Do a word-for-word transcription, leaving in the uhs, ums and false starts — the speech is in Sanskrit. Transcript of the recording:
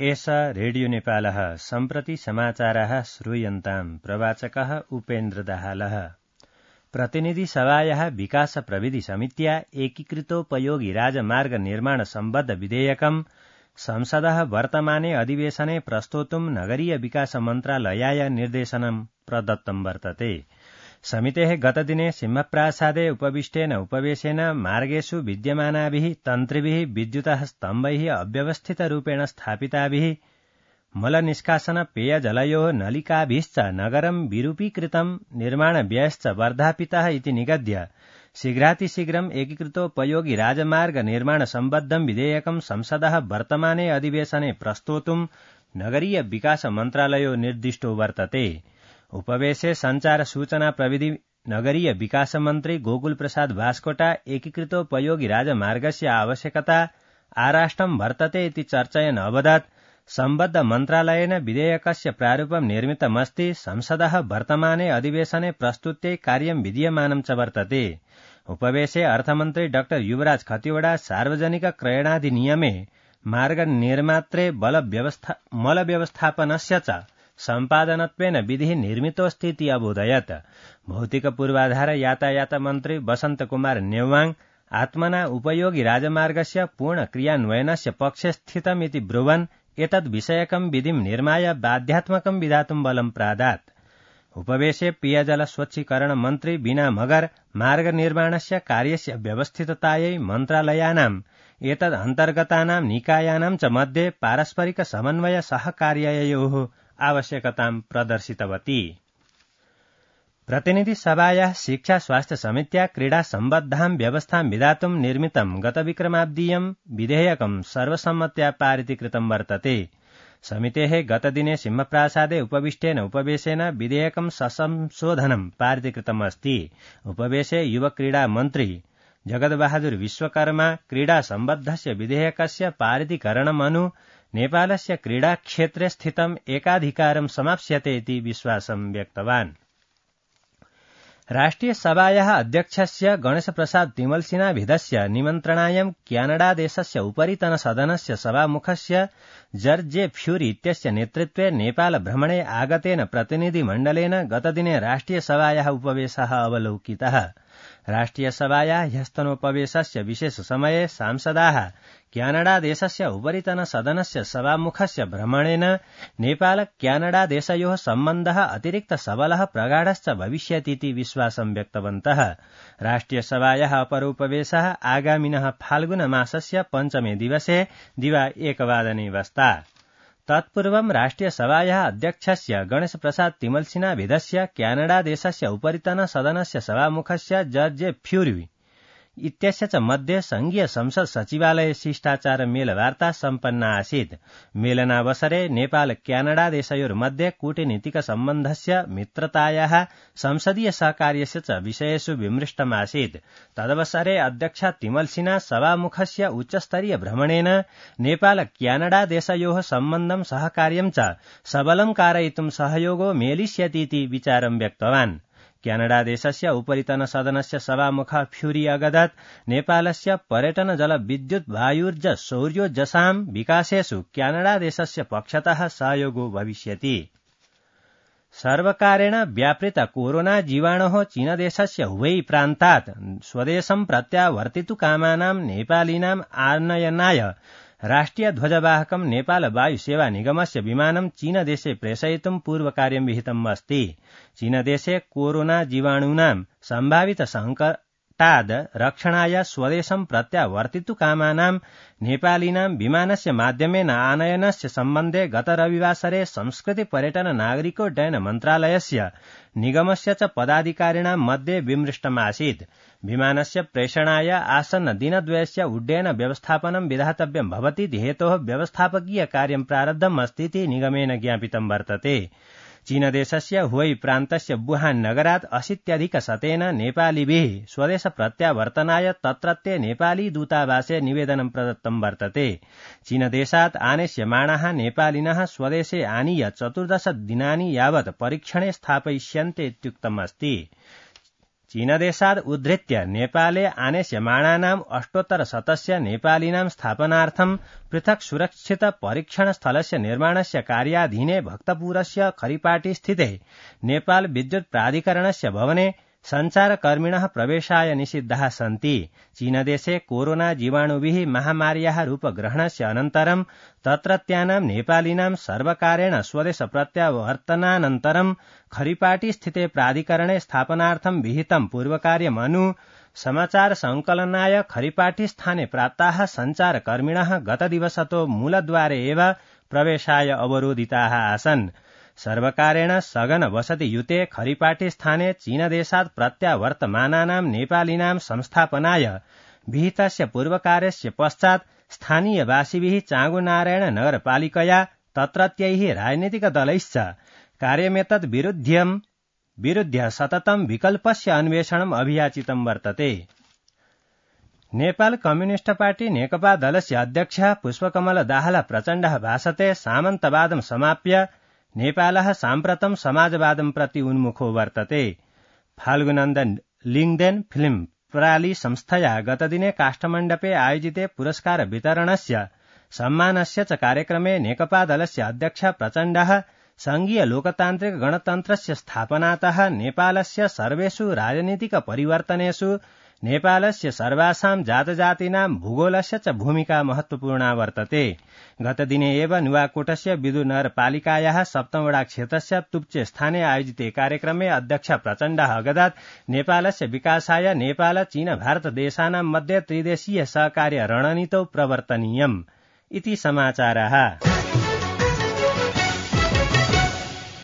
एष रेडियो नेपालः सम्प्रति समाचाराः श्रूयन्ताम् प्रवाचकः उपेन्द्र दाहालः। प्रतिनिधि सभायाः विकास प्रविधि समित्या एकीकृतोपयोगी राजमार्ग निर्माण सम्बद्ध विधेयकम् संसदः वर्तमाने अधिवेशने प्रस्तोतुम् नगरीय विकास मन्त्रालयाय निर्देशनम् प्रदत्तं वर्तते। समितेः गतदिने सिंहप्रासादे उपविष्टेन उपवेशेन मार्गेषु विद्यमानाभिः तन्त्रिभिः विद्युतः स्तम्भैः अव्यवस्थितरूपेण स्थापिताभिः मलनिष्कासन पेयजलयोः नलिकाभिश्च नगरं विरूपीकृतं निर्माणव्ययश्च वर्धापितः इति निगद्य शीघ्रातिशीघ्रम् एकीकृतोपयोगी राजमार्ग निर्माण सम्बद्धं विधेयकं संसदः वर्तमाने अधिवेशने प्रस्तोतुम् नगरीय विकास मन्त्रालयो निर्दिष्टो वर्तते। उपवेशे संचार सूचना प्रविधि नगरीय विकास मन्त्री गोकुल प्रसाद बास्कोटा एकीकृतोपयोगी राजमार्गस्य आवश्यकता आराष्टं वर्तते इति चर्चयन् अवदत् सम्बद्ध मन्त्रालयेन विधेयकस्य प्रारूपं निर्मितमस्ति। संसदः वर्तमाने अधिवेशने प्रस्तुत्यै कार्यं विधीयमानं च वर्तते। उपवेशे अर्थमन्त्री डाक्टर युवराज खतिवड़ा सार्वजनिक क्रयणाधिनियमे मार्ग निर्मात्रे बल व्यवस्था मल व्यवस्थापनस्य च सम्पादनत्वेन विधिः निर्मितोऽस्ति इति अबोधयत्। भौतिक पूर्वाधार यातायात मन्त्री वसन्त कुमार नेवाङ आत्मना उपयोगी राजमार्गस्य पूर्ण क्रियान्वयनस्य पक्षे स्थितम् इति ब्रुवन् एतद् विषयकं विधिं निर्माय बाध्यात्मकं विधातुं बलं प्रादात्। उपवेशे पेयजल स्वच्छीकरण मन्त्री बीना मगर मार्ग निर्माणस्य कार्यस्य व्यवस्थिततायै मन्त्रालयानाम् एतद् अन्तर्गतानां निकायानां च मध्ये पारस्परिक समन्वय सहकार्ययोः आवश्यकतां प्रदर्शितवती। प्रतिनिधि सभायाः शिक्षा स्वास्थ्य समित्या क्रीडा सम्बद्धां व्यवस्थां विधातुं निर्मितं गतविक्रमाब्दीयं विधेयकं सर्वसम्मत्या पारितीकृतं वर्तते। समितेः गतदिने सिंहप्रासादे उपविष्टेन उपवेशेन विधेयकं ससंशोधनं पारितीकृतमस्ति। उपवेशे युव क्रीडा मन्त्री जगद्बहादुर विश्वकर्मा क्रीडा सम्बद्धस्य विधेयकस्य पारितीकरणमनु नेपालस्य क्रीडाक्षेत्रे स्थितम् एकाधिकारं समाप्स्यते इति विश्वासं व्यक्तवान्। राष्ट्रिय सभायाः अध्यक्षस्य गणेशप्रसाद तिमलसिन्हाभिधस्य निमन्त्रणायं क्यानडादेशस्य उपरितन सदनस्य सभामुखस्य जर्ज जे फ्यूरी इत्यस्य नेतृत्वे नेपाल भ्रमणे आगतेन प्रतिनिधिमण्डलेन गतदिने राष्ट्रिय सभायाः उपवेशः अवलोकितः। राष्ट्रिय सभायाः ह्यस्तनोपवेशस्य विशेष समये सांसदाः क्यानडादेशस्य उपरितन सदनस्य सभामुखस्य भ्रमणेन नेपाल क्यानडादेशयोः सम्बन्धः अतिरिक्त सबलः प्रगाढश्च भविष्यतीति विश्वासं व्यक्तवन्तः। राष्ट्रिय सभायाः अपरोपवेशः आगामिनः फाल्गुन मासस्य पञ्चमे दिवसे दिवा एकवादने वस्ता। तत्पूर्वं राष्ट्रिय सभायाः अध्यक्षस्य गणेश प्रसाद तिमलसिन्हाभिधस्य क्यानडादेशस्य उपरितन सदनस्य सभामुखस्य जर्ज जे फ्यूरी इत्यस्य च मध्ये संघीय संसद सचिवालय शिष्टाचार मेलवार्ता सम्पन्ना आसीत्। मेलनावसरे नेपाल क्यानडा देशयोर्मध्ये कूटनीतिक सम्बन्धस्य मित्रतायाः संसदीय सहकार्यस्य च विषयेषु विमृष्टमासीत्। तदवसरे अध्यक्ष तिमलसिन्हा सभामुखस्य उच्चस्तरीय भ्रमणेन नेपाल क्यानडा देशयोः सम्बन्धं सहकार्यं च सबलं कारयितुं सहयोगो मेलिष्यतीति विचारं व्यक्तवान्। क्यानडा देशस्य उपरितन सदनस्य सभामुख फ्यूरी अगदत् नेपालस्य पर्यटन जल विद्युत वायुर्ज सौर्योजसां विकासेषु क्यानडा देशस्य पक्षतः सहयोगो भविष्यति। सर्वकारेण व्यापृत कोरोना जीवाणोः चीनदेशस्य हुबै प्रान्तात् स्वदेशं प्रत्यावर्तितुकामानां नेपालीनाम् आनयनाय राष्ट्रिय ध्वजवाहकं नेपाल वायु सेवा निगमस्य विमानं चीनदेशे प्रेषयितुं पूर्वकार्यं विहितम् अस्ति। चीनदेशे कोरोना जीवाणूनां सम्भावित संकटाद् रक्षणाय स्वदेशं प्रत्यावर्तितुकामानां नेपालीनां विमानस्य माध्यमेन आनयनस्य सम्बन्धे गत रविवासरे संस्कृति पर्यटन नागरिकोड्डयन मन्त्रालयस्य निगमस्य च पदाधिकारिणां मध्ये विमृष्टमासीत्। विमानस्य प्रेषणाय आसन्न दिनद्वयस्य उड्डयन व्यवस्थापनं विधातव्यं भवति हेतोः व्यवस्थापकीय कार्यं प्रारब्धम् अस्ति इति निगमेन ज्ञापितं वर्तते। चीनदेशस्य हुबै प्रान्तस्य वुहान नगरात् अशीत्यधिकशतेन नेपालीभिः स्वदेश प्रत्यावर्तनाय तत्रत्य नेपाली दूतावासे निवेदनं प्रदत्तं वर्तते। चीनदेशात् आनेष्यमाणाः नेपालिनः स्वदेशे आनीय चतुर्दश दिनानि यावत् परीक्षणे स्थापयिष्यन्ते इत्युक्तम् अस्ति। चीनदेशाद् उद्धृत्य नेपाले आनेष्यमाणानाम् अष्टोत्तरशतस्य नेपालिनां स्थापनार्थं पृथक् सुरक्षित परीक्षणस्थलस्य निर्माणस्य कार्याधीने भक्तपुरस्य खरिपाटी स्थिते नेपाल विद्युत् प्राधिकरणस्य भवने सञ्चारकर्मिणः प्रवेशाय निषिद्धाः सन्ति। चीनदेशे कोरोना जीवाणुभिः महामार्याः रूपग्रहणस्य अनन्तरं तत्रत्यानां नेपालिनां सर्वकारेण स्वदेश प्रत्यावर्तनानन्तरं खरिपाटी स्थिते प्राधिकरणे स्थापनार्थं विहितं पूर्वकार्यमनु समाचार संकलनाय खरिपाटी स्थाने प्राप्ताः सञ्चारकर्मिणः गतदिवसतो मूलद्वारे एव प्रवेशाय अवरोधिताः आसन्। सर्वकारेण सघन वसतियुते खरिपाटी स्थाने चीनदेशात् प्रत्यावर्तमानानां नेपालिनां संस्थापनाय विहितस्य पूर्वकार्यस्य पश्चात् स्थानीयवासिभिः चाँगुनारायण नगरपालिकया तत्रत्यैः राजनीतिकदलैश्च कार्यमेतद् विरुध्यं विरुध्य सततं विकल्पस्य अन्वेषणम् अभियाचितं वर्तते। नेपाल कम्युनिस्ट पार्टी नेकपा दलस्य अध्यक्षः पुष्पकमल दाहाल प्रचण्डः भाषते सामन्तवादं समाप्य नेपालः साम्प्रतं समाजवादं प्रति उन्मुखो वर्तते। फाल्गुनन्दन लिङ्गदेन फिल्म प्राली संस्थया गतदिने काष्ठमण्डपे आयोजिते पुरस्कार वितरणस्य सम्मानस्य च कार्यक्रमे नेकपा दलस्य अध्यक्ष प्रचण्डः संघीय लोकतान्त्रिक गणतन्त्रस्य स्थापनातः नेपालस्य सर्वेषु राजनीतिक परिवर्तनेषु नेपालस्य सर्वासां जातजातीनां भूगोलस्य च भूमिका महत्वपूर्णा वर्तते। गतदिने एव नुवाकोटस्य विदुनगरपालिकायाः सप्तमवडा क्षेत्रस्य तुप्चे स्थाने आयोजिते कार्यक्रमे अध्यक्ष प्रचण्डः अगदात् नेपालस्य विकासाय नेपाल चीन भारत देशानां मध्ये त्रिदेशीय सहकार्य रणनीतौ प्रवर्तनीयम् इति समाचारः।